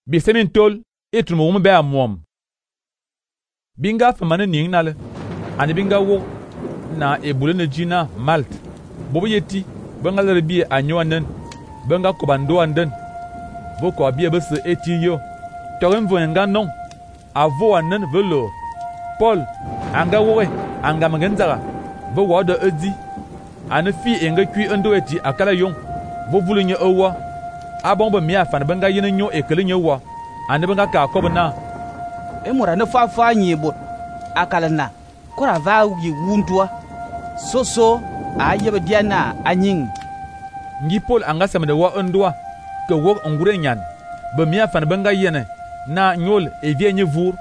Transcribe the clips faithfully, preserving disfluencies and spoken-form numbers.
bi semin tol etum wum be amom binga famane ning nale ani binga wo na ebule na jina malt bobo yeti benga le bi anyoanen benga kobando anden boko bi be se eti yo torem voenga non avo anen velo Paul anga wowe anga mangenzara bo wodo edi ani fi enga kwi ndo eti akala yon bo vulu nye owa abon bo mi afan benga yene nyo ekele nye wa ani benga ka kobna emura ne fa fa nyibot akala na kora va yi wuntua soso ayebe diana anyin ngi Paul anga samede wa ndwa ke wo ngure nyan bo mi afan benga yene na nyol e vie nye vur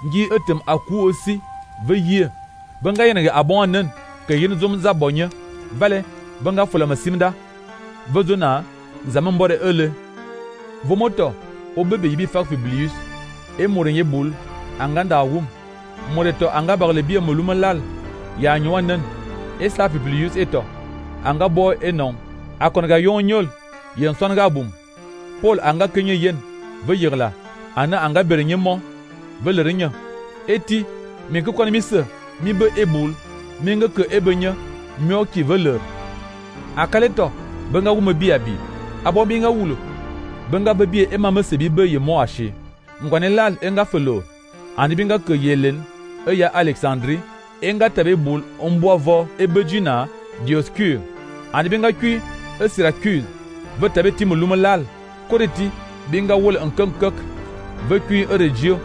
ngi etem aku aussi ve yie benga yene abon nen ke yin zum za bonye vale benga fola masimda vezona zaman bore ele vomoto o bebe yibi fak Publius e morenye bul anganda wum moreto anga barle bia moluma lal ya nywanen e sa Publius eto anga bo enon akonga yonyol yen songa bum Paul anga kenye yen ve yirla ana anga berenye mo ve lerenya eti mi ko mi se mi be ebul mi nga ke ebenya myo ki veler akaleto benga wuma bia bi abo bi nga wulo benga be bi e mama se bi be ye mo ache ngwane lal enga felo ani binga ke yelen e ya Alexandrie enga tabe bul omboavo ebejina Dioscure ani binga kwi e Syracuse ve tabe timuluma lal koreti binga wol enkankak ve kwi e regio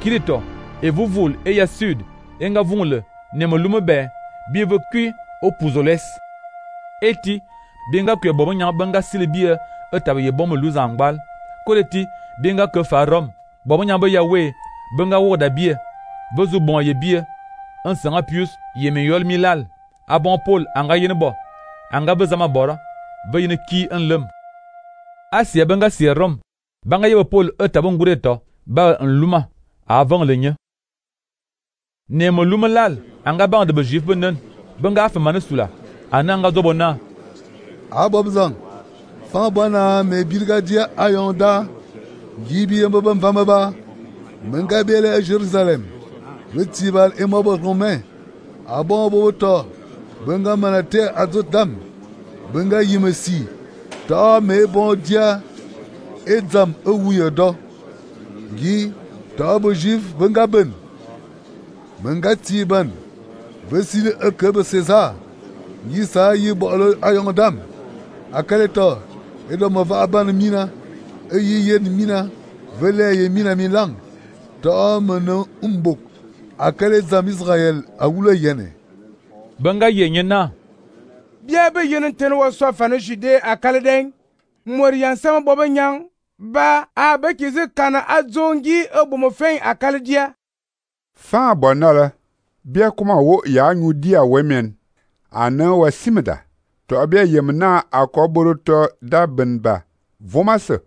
kirito e vuvul e ya sud enga vungle nemolume be bi ve kwi o Puzoles eti binga kwe bobo nyang benga silibie etabe ye bomo luzangbal koleti binga ke farom bobo nyang be yawe benga woda bie bezu bon ye bie un sanga pius ye me yol milal abon Paul anga yene bo anga bezama bora be yene ki en lem asia benga si rom banga ye Paul etabe ngureto ba en luma avant lenye nemo luma lal anga bang de be juif benen benga fa manasula ananga zobona abobzang fa bona me birgadia ayonda gibi mbaba mvamaba menga bele Jerusalem retibal e mobo romain abon boto benga manate azotam benga yimesi ta me bon dia edzam ewuyodo gi ta bo juif benga ben benga tiban vesile ekebe César yisa yi bolo ayondam akaleto edo mova aban mina eyi yen mina vele ye mina milang to meno umbok akale zam Israel awule yene benga yenyena bia be yen ten wo so fa no jude akale den morian sama bobo nyang ba a be kizi kana azongi obomo fen akale dia fa bonala bia kuma wo ya nyu dia wemen ana wa simda to abia yemna akoboro to da benba vomase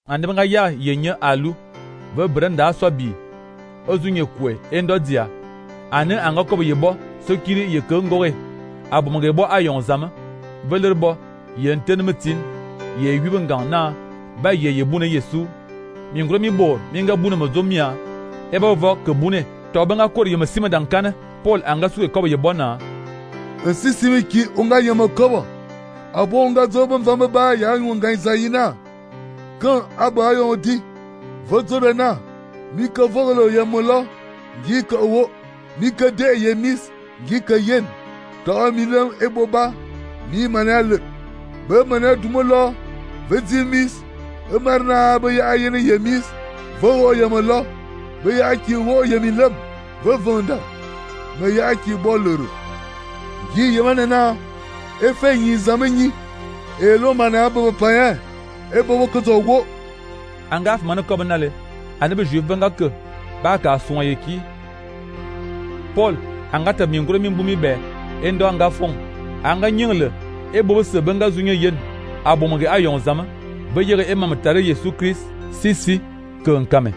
ande benga ya yenye alu ve brenda so bi ozunye kwe endodia ane anga ko yebo sokiri ye kongore abomge bo ayon zama velerbo ye ntenmetin ye yubengan na ba ye yebune Yesu mi ngro mi bor mi nga bune mazomia eba vo ke bune to benga kor ye masima dankane Paul anga su ko yebo na sisimi ki unga yama kobo abo unga zobo mvamba ba ya unga isaina kan aba yo di vozo na mi ka volo yamolo gi ka wo mi ka de yemis gi ka yen to mi lem eboba mi manal be manal dumolo vezimis emarna be ya yen yemis vo yamolo be ya ki wo yemilem vo vonda me ya ki boloro gi yemanena efe yin zamenyi elo mana abo paya ebo kozo wo angaf man ko banale anabe juif benga ke ba ka son yeki Paul anga ta mi ngoro mi bumi be endo anga fon anga nyingle ebo se benga zunye yen abomge ayon zama be yere emam tare Yesu Christ sisi ke nkame